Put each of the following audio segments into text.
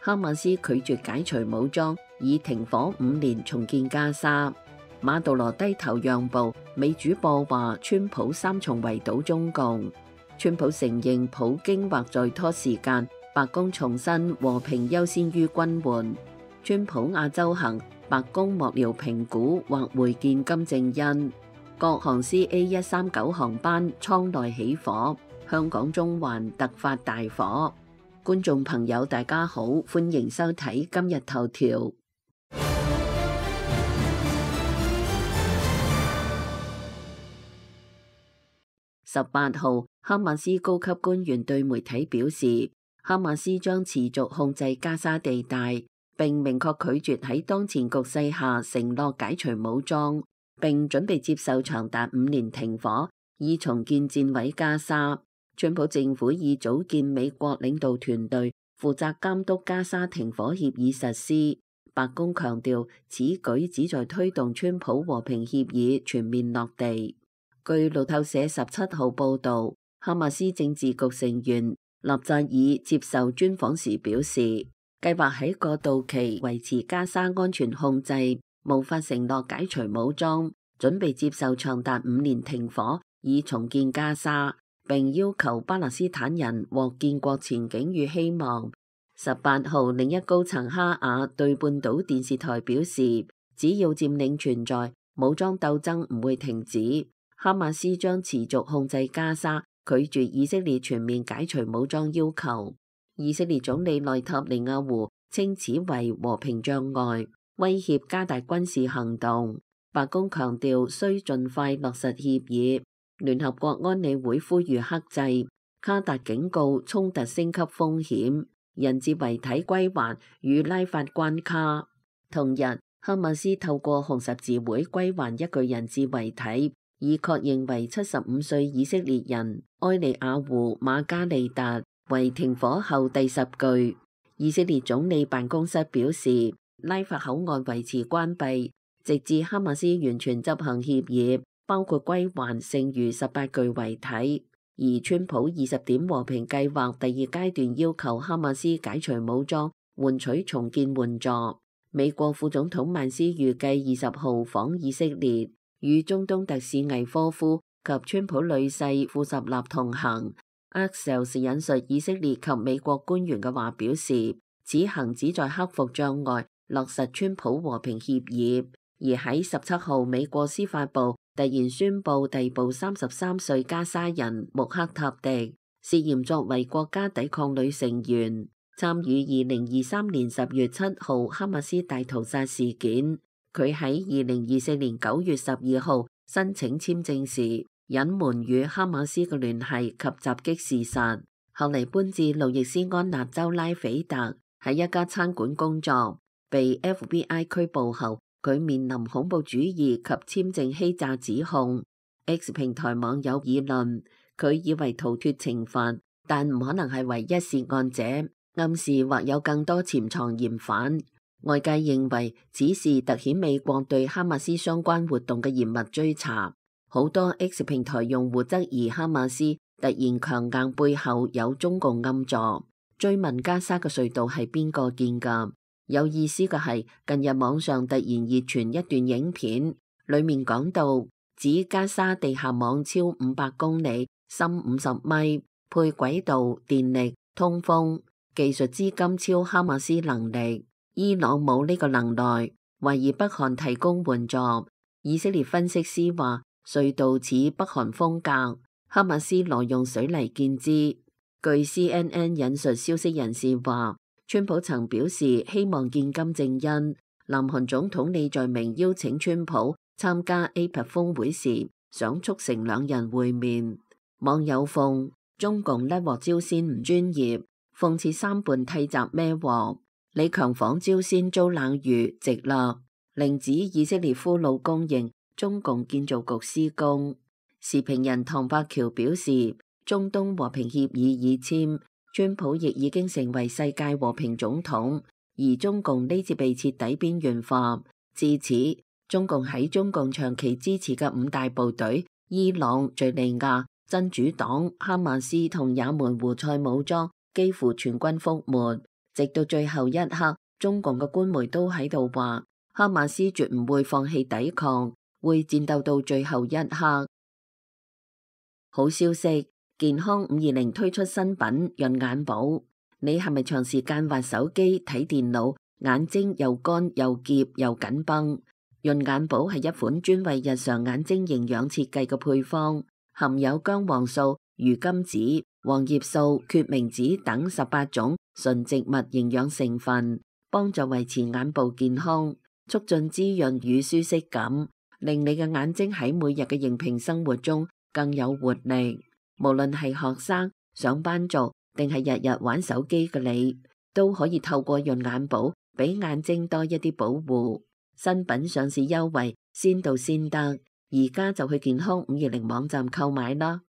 哈馬斯拒絕解除武裝，以停火5年重建加沙。馬杜羅低頭讓步，美主播話川普3重圍堵中共。川普承認普京或在拖時間，白宮重申和平優先於軍援。川普亞洲行，白宮幕僚評估或會見金正恩。國航 CA139航班艙內起火，香港中環突發大火。觀眾朋友大家好，歡迎收睇今日頭條。18號，哈馬斯高級官員對媒體表示，哈馬斯將持續控制加沙地帶，並明確拒絕喺當前局勢下承諾解除武裝，並準備接受長達5年停火，以重建戰毀加沙。川普政府已組建美國領導團隊，負責監督加沙停火協議實施。白宮強調，此舉旨在推動川普和平協議全面落地。據路透社17號報導，哈馬斯政治局成員納扎爾接受專訪時表示，計劃喺過渡期維持加沙安全控制，無法承諾解除武裝，準備接受長達5年停火，以重建加沙。並要求巴勒斯坦人獲建國前景與希望。18號，另一高層哈瓦對半島電視台表示，只要佔領存在，武裝鬥爭唔會停止。哈馬斯將持續控制加沙，拒絕以色列全面解除武裝要求。以色列總理內塔尼亞胡稱此為和平障礙，威脅加大軍事行動。白宮強調需盡快落實協議。聯合國安理會呼籲克制。卡達警告衝突升級風險。人質遺體歸還與拉法關卡。同日，哈馬斯透過紅十字會歸還一具人質遺體，以確認為75歲以色列人埃利亞胡馬加利達為停火後第10具。以色列總理辦公室表示，拉法口岸維持關閉，直至哈馬斯完全執行協議，包括歸還剩餘18具遺體。而川普20點和平計劃第2階段要求哈馬斯解除武裝，換取重建援助。美國副總統曼斯預計20號訪以色列，與中東特使魏科夫及川普女婿庫什納同行。Axios 引述以色列及美國官員嘅話表示，此行旨在克服障礙，落實川普和平協議。而喺17號，美國司法部突然宣布逮捕33歲加沙人穆克塔迪，涉嫌作為國家抵抗旅成員，參與2023年10月7號哈馬斯大屠殺事件。佢喺2024年9月12號申請簽證時，隱瞞與哈馬斯嘅聯繫及襲擊事實，後嚟搬至路易斯安那州拉斐特，喺一家餐館工作，被 FBI 拘捕後，佢面臨恐怖主義及簽證欺詐指控。X 平台網友議論，佢以為逃脫懲罰，但唔可能係唯一涉案者，暗示或有更多潛藏嫌犯。外界認為此事凸顯美國對哈馬斯相關活動嘅嚴密追查。好多 X 平台用戶質疑哈馬斯突然強硬背後有中共暗助，追問加沙嘅隧道係邊個建㗎？有意思嘅係，近日網上突然熱傳一段影片，裡面講到指加沙地下網超500公里，深50米，配軌道、電力、通風，技術資金超哈馬斯能力。伊朗冇呢個能耐，懷疑北韓提供援助。以色列分析師話，隧道似北韓風格，哈馬斯挪用水泥建之。據 CNN 引述消息人士話，川普曾表示希望見金正恩。南韓總統李在明邀請川普參加 APEC 峰會時，想促成兩人會面。網友諷中共甩鑊朝鮮唔專業，諷刺三胖替襲孭鑊。李強訪朝鮮遭冷遇，直勒令指以色列俘虜供應，中共建造局施工。時評人唐伯橋表示，中東和平協議已簽，川普亦已經成為世界和平總統，而中共呢次被徹底邊緣化。至此，中共喺中共長期支持嘅5大部隊伊朗、敘利亞、真主黨、哈馬斯同也門胡塞武裝幾乎全軍覆沒。直到最後一刻，中共嘅官媒都喺度話，哈馬斯絕唔會放棄抵抗，會戰鬥到最後一刻。好消息，健康520推出新品潤眼寶。你係咪長時間滑手機睇電腦，眼睛又乾又澀又緊繃？潤眼寶係一款專為日常眼睛營養設計嘅配方，含有薑黃素、魚甘子、黃葉素、決明子等18種純植物營養成分，幫助維持眼部健康，促進滋潤與舒適感，令你嘅眼睛喺每日嘅熒屏生活中更有活力。無論係學生、上班族定係日日玩手機嘅你，都可以透過潤眼寶俾眼睛多一啲保護。新品上市優惠先到先得，而家就去健康520網站購買啦。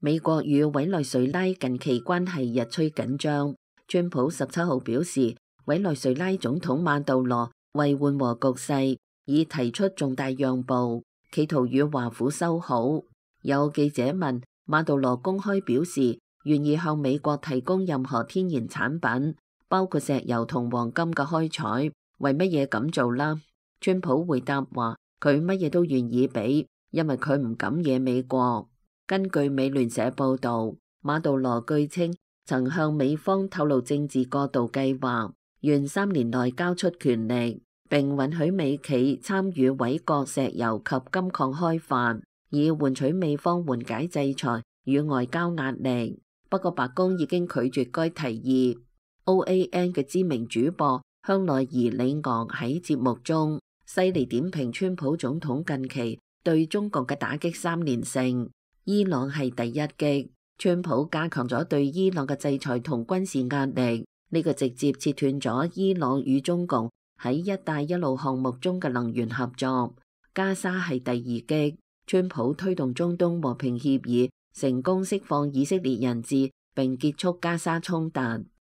美國與委內瑞拉近期關係日趨緊張，川普17號表示，委內瑞拉總統馬杜羅為緩和局勢，已提出重大讓步，企圖與華府修好。有記者問馬杜羅公開表示願意向美國提供任何天然產品，包括石油同黃金嘅開採，為乜嘢咁做啦？川普回答話佢乜嘢都願意俾，因為佢唔敢惹美國。根據美聯社報道，馬杜羅據稱曾向美方透露政治過渡計劃，願3年內交出權力，並允許美企參與委國石油及金礦開發，以換取美方緩解制裁與外交壓力。不過白宮已經拒絕該提議。OAN 嘅知名主播香奈兒里昂喺節目中犀利點評川普總統近期對中國嘅打擊3連勝，伊朗係第一擊。川普加強咗對伊朗嘅制裁同軍事壓力，呢個直接切斷咗伊朗與中共喺一帶一路項目中嘅能源合作。加沙係第二擊，川普推動中東和平協議，成功釋放以色列人質並結束加沙衝突。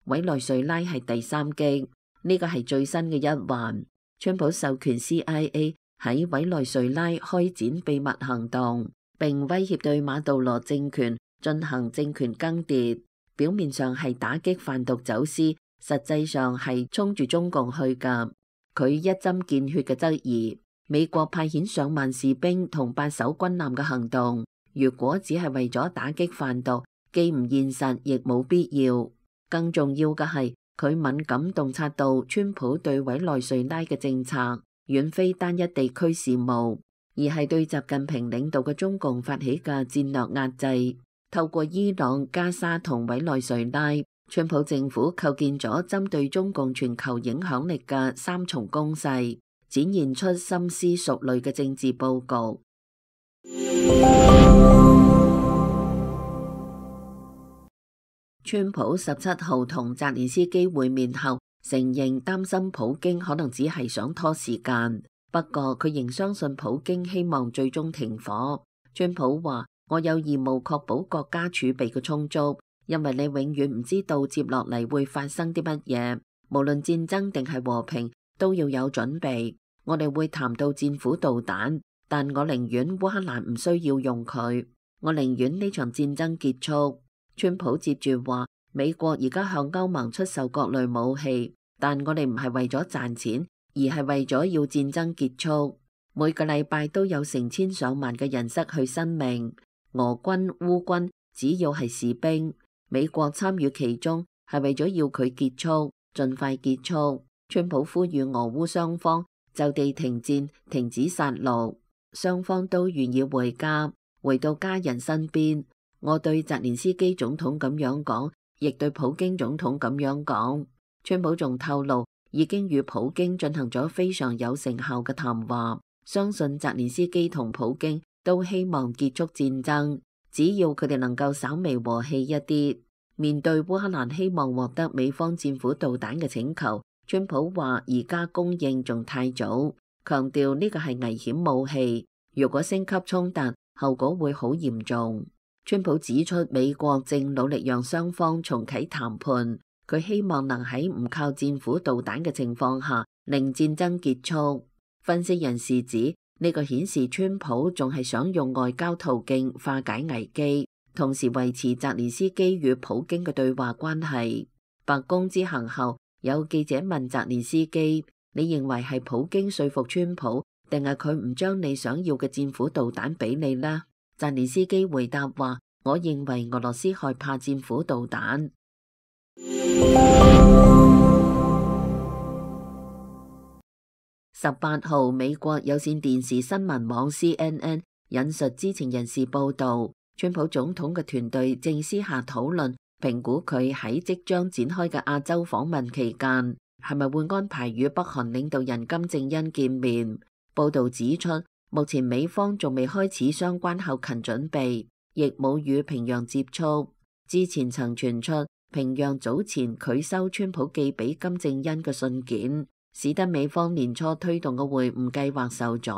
委內瑞拉係第三擊，呢個係最新嘅一環。川普授權 CIA 喺委內瑞拉開展秘密行動，並威脅對馬杜羅政權進行政權更迭，表面上係打擊販毒走私，實際上係衝住中共去㗎。佢一針見血嘅質疑美國派遣上萬士兵同8艘軍艦嘅行動，如果只係為咗打擊販毒，既唔現實亦冇必要。更重要嘅係佢敏感洞察到川普對委內瑞拉嘅政策遠非單一地區事務，而係對習近平領導嘅中共發起嘅戰略壓制。透過伊朗、加沙同委內瑞拉，川普政府構建咗針對中共全球影響力嘅3重攻勢，展現出深思熟慮嘅政治佈局。川普17號同澤連斯基會面後，承認擔心普京可能只係想拖時間，不過佢仍相信普京希望最終停火。川普話：我有義務確保國家儲備嘅充足，因為你永遠唔知道接落嚟會發生啲乜嘢，無論戰爭定係和平都要有準備。我哋會談到戰斧導彈，但我寧願烏克蘭唔需要用佢，我寧願呢場戰爭結束。川普接住話：美國而家向歐盟出售各類武器，但我哋唔係為咗賺錢，而係為咗要戰爭結束。每個禮拜都有成千上萬嘅人失去生命，俄軍、烏軍只要係士兵，美國參與其中係為咗要佢結束，盡快結束。川普呼籲俄烏雙方就地停戰，停止殺戮，雙方都願意回家，回到家人身邊。我對澤連斯基總統咁樣講，亦對普京總統咁樣講。川普仲透露，已經與普京進行咗非常有成效嘅談話，相信澤連斯基同普京都希望結束戰爭，只要佢哋能夠稍微和氣一啲。面對烏克蘭希望獲得美方戰斧導彈嘅請求，川普話而家供應仲太早，強調呢個係危險武器，如果升級衝突，後果會好嚴重。川普指出，美國正努力讓雙方重啟談判，佢希望能喺唔靠戰斧導彈嘅情況下令戰爭結束。分析人士指，呢個顯示川普仲係想用外交途徑化解危機，同時維持澤連斯基與普京嘅對話關係。白宮之行後，有記者問澤連斯基：你認為係普京說服川普，定係佢唔將你想要嘅戰斧導彈俾你呢？澤連斯基回答話：我認為俄羅斯害怕戰斧導彈。18號，美國有線電視新聞網 CNN 引述知情人士報道，川普總統嘅團隊正私下討論評估佢喺即將展開嘅亞洲訪問期間，係咪會安排與北韓領導人金正恩見面。報道指出，目前美方仲未開始相關後勤準備，亦冇與平壤接觸。之前曾傳出平壤早前拒收川普寄俾金正恩嘅信件，使得美方年初推動嘅會晤計劃受阻。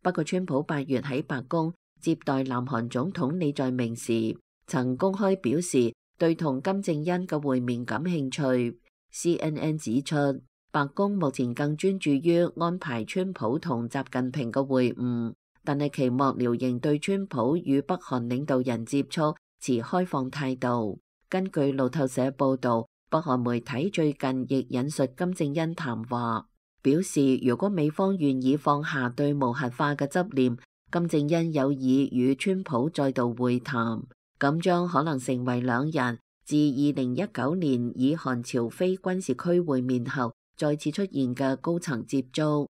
不過川普8月喺白宮接待南韓總統李在明時，曾公開表示對同金正恩嘅會面感興趣。CNN 指出，白宮目前更專注於安排川普同習近平嘅會晤，但係其幕僚仍對川普與北韓領導人接觸持開放態度。根據路透社報導，北韓媒體最近亦引述金正恩談話，表示如果美方願意放下對無核化嘅執念，金正恩有意與川普再度會談，咁將可能成為兩人自2019年以韓朝非軍事區會面後再次出現嘅高層接觸。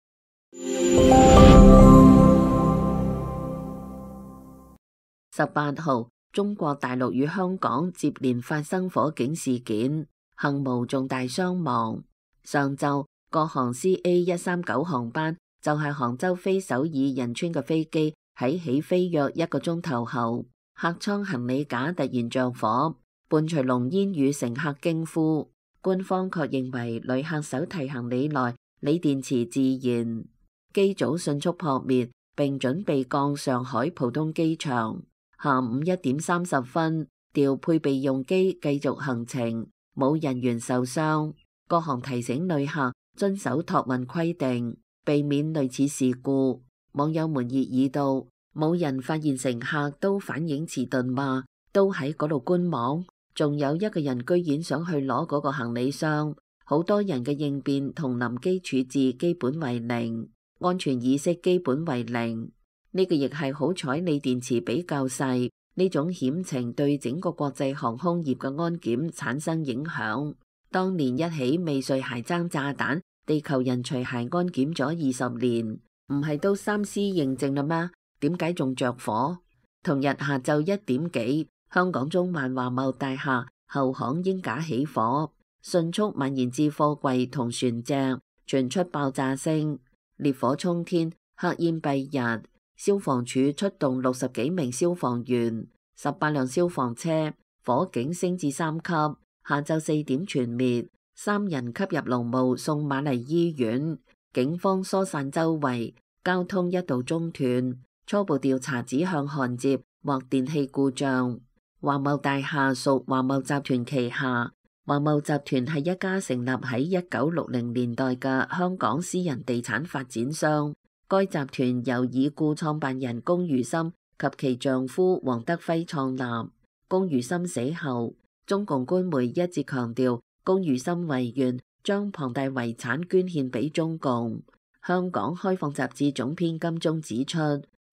18號，中國大陸與香港接連發生火警事件，幸無重大傷亡。上晝，國航 CA139 航班就係杭州飛首爾仁川嘅飛機喺起飛約1個鐘頭後，客艙行李架突然着火，伴隨濃煙與乘客驚呼。官方確認為旅客手提行李內鋰電池自燃，機組迅速撲滅並準備降上海浦東機場。下午1點30分，調配備用機繼續行程，冇人員受傷。國航提醒旅客遵守託運規定，避免類似事故。網友們熱議道：冇人發現乘客都反應遲鈍嘛，都喺嗰度觀望。仲有一個人居然想去攞嗰個行李箱，好多人嘅應變同臨機處置基本為零，安全意識基本為零。呢個亦係好彩鋰電池比較細，呢種險情對整個國際航空業嘅安檢產生影響。當年一起未遂鞋踭炸彈，地球人除鞋安檢咗20年，唔係都3C 認證啦咩？點解仲着火？同日下晝1點幾，香港中環華茂大廈後巷鷹架起火，迅速蔓延至貨櫃同船隻，傳出爆炸聲，烈火衝天，黑煙蔽日。消防處出動60幾名消防員，18輛消防車，火警升至3級。下晝4點全滅，3人吸入濃霧送瑪麗醫院。警方疏散周圍，交通一度中斷。初步調查指向焊接或電器故障。華懋大廈屬華懋集團旗下。華懋集團係一家成立喺1960年代嘅香港私人地產發展商。該集團由已故創辦人龔如心及其丈夫黃德輝創立。龔如心死後，中共官媒一直強調龔如心遺願將龐大遺產捐獻俾中共。香港開放雜誌總編金鐘指出，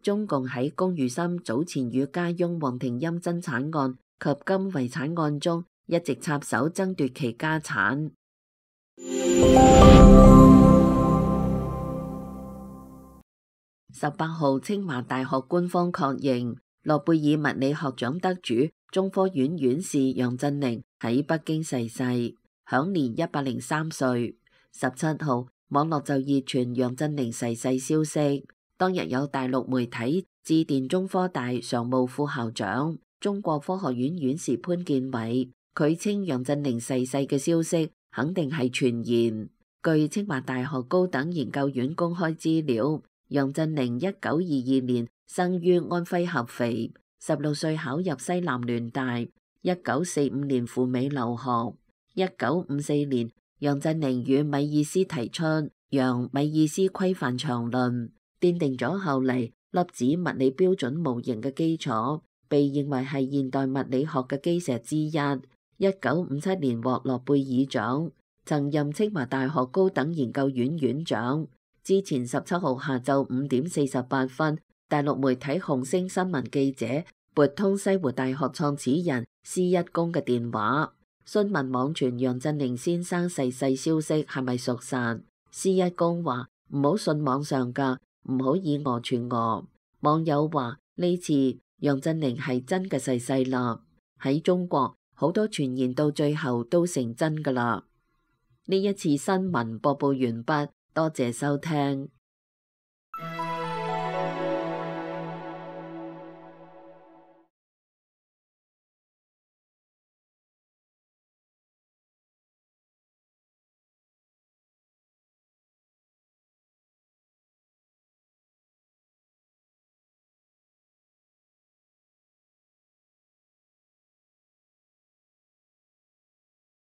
中共喺龔如心早前與家翁黃廷鑫爭產案及金遺產案中一直插手爭奪其家產。18號，清華大學官方確認諾貝爾物理學獎得主中科院院士楊振寧喺北京逝世，享年103歲。17號，網絡就熱傳楊振寧逝世消息。當日有大陸媒體致電中科大常務副校長、中國科學院院士潘建偉，佢稱楊振寧逝世嘅消息肯定係傳言。據清華大學高等研究院公開資料，楊振寧1922年生於安徽合肥，16歲考入西南聯大，1945年赴美留學。1954年，楊振寧與米爾斯提出楊米爾斯規範場論，奠定咗後嚟粒子物理標準模型嘅基礎，被認為係現代物理學嘅基石之一。1957年獲諾貝爾獎，曾任清華大學高等研究院院長。之前17號下晝5點48分，大陸媒體紅星新聞記者撥通西湖大學創始人施一公嘅電話，詢問網傳楊振寧先生逝世消息係咪屬實。施一公話唔好信網上㗎，唔好以訛傳訛。網友話呢次楊振寧係真嘅逝世啦，喺中國好多傳言到最後都成真㗎啦。呢一次新聞播報完畢，多謝收聽。